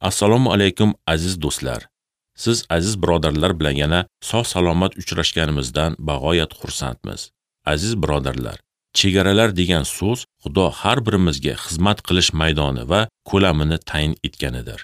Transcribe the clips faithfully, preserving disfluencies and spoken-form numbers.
Assalomu alaykum aziz do'stlar. Siz aziz birodarlar bilan yana sog' salomat uchrashganimizdan bag'oyat xursandmiz. Aziz birodarlar, chegaralar degan so'z Xudo har birimizga xizmat qilish maydoni va ko'lamini tayin etganidir.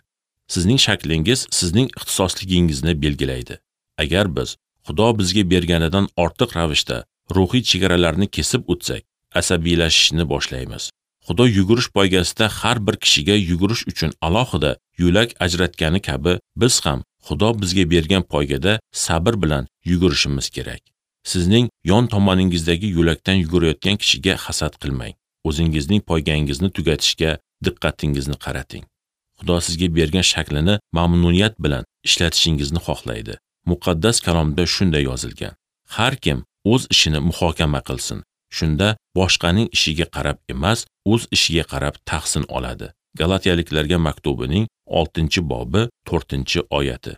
Sizning shaklingiz sizning ixtisosligingizni belgilaydi. Agar biz Xudo bizga berganidan ortiq ravishda ruhiy chegaralarni kesib o'tsak, asabiylashishni boshlaymiz. Xudo yugurish poygasida har bir kishiga yugurish uchun alohida yo'lak ajratgani kabi, biz ham Xudo bizga bergan poygada sabr bilan yugurishimiz kerak. Sizning yon tomoningizdagi yo'lakdan yugurayotgan kishiga hasad qilmang. O'zingizning poygangizni tugatishga diqqatingizni qarating. Xudo sizga bergan shaklini mamnuniyat bilan ishlatishingizni xohlaydi. Muqaddas kalomda shunday yozilgan: har kim o'z ishini muhokama qilsin. Shunda boshqaning ishiga qarab emas, o'z ishiga qarab tahsin oladi. Galatiyaliklarga maktubining oltinchi bobi to'rtinchi oyati.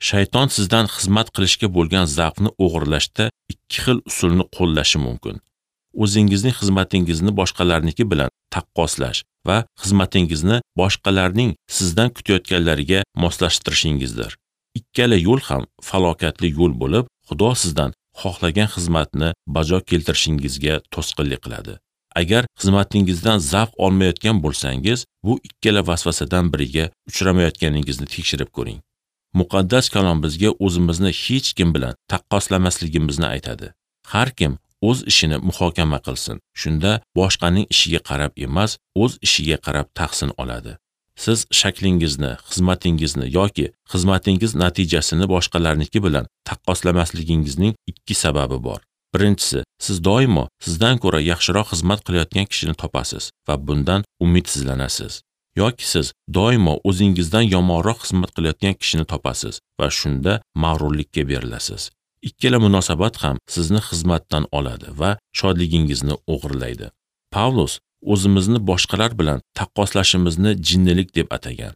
Shayton sizdan xizmat qilishga bo'lgan zavqni o'g'irlashda ikki xil usulni qo'llashi mumkin. O'zingizning xizmatingizni boshqalarniki bilan taqqoslash va xizmatingizni boshqalarning sizdan kutayotganlariga moslashtirishingizdir. Ikkala yo'l ham falokatli yo'l bo'lib, Xudo sizdan xohlagan xizmatni bajo keltirishingizga to'sqinlik qiladi. Agar xizmatingizdan zavq olmayotgan bo'lsangiz, bu ikkala vasvasadan biriga uchramayotganingizni tekshirib ko'ring. Muqaddas kalom bizga o'zimizni hech kim bilan taqqoslamasligimizni aytadi. Har kim o'z ishini muhokama qilsin. Shunda boshqaning ishiga qarab emas, o'z ishiga qarab tahsin oladi. Siz shaklingizni, xizmatingizni yoki xizmatingiz natijasini boshqalarniki bilan taqqoslamasligingizning ikki sababi bor. Birinchisi, siz doimo sizdan ko'ra yaxshiroq xizmat qilayotgan kishini topasiz va bundan umidsizlanasiz. Yoki siz doimo o'zingizdan yomonroq xizmat qilayotgan kishini topasiz va shunda mag'rurlikka berilasiz. Ikkala munosabat ham sizni xizmatdan oladi va shodligingizni o'g'irlaydi. Pavlus o'zimizni boshqalar bilan taqqoslashimizni jinnilik deb atagan.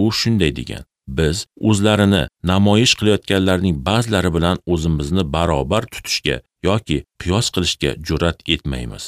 U shunday degan: biz o'zlarini namoyish qilayotganlarning ba'zilari bilan o'zimizni barobar tutishga yoki qiyos qilishga jur'at etmaymiz.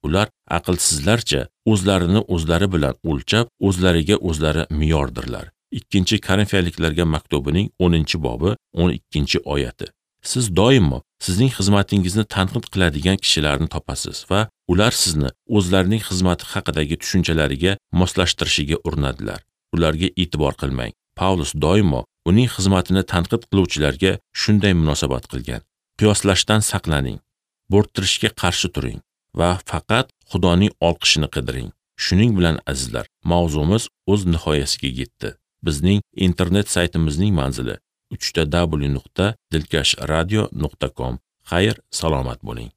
Ular aqlsizlarcha o'zlarini o'zlari bilan o'lchab, o'zlariga o'zlari me'yordirlar. Ikkinchi Korinfiyaliklarga maktubining o'ninchi bobi o'n ikkinchi oyati. Siz doimo sizning xizmatingizni tanqid qiladigan kishilarni topasiz va ular sizni o'zlarining xizmati haqidagi tushunchalariga moslashtirishiga urinadilar. Ularga e'tibor qilmang. Pavlus doimo uning xizmatini tanqid qiluvchilarga shunday munosabat qilgan. Qiyoslashdan saqlaning, bo'rttirishga qarshi turing va faqat Xudoning olqishini qidiring. Shuning bilan azizlar, mavzumiz o'z nihoyasiga yetdi. Bizning internet saytimizning manzili uch ta w nuqta dilkash radio nuqta com. Xayr, salomat bo'ling.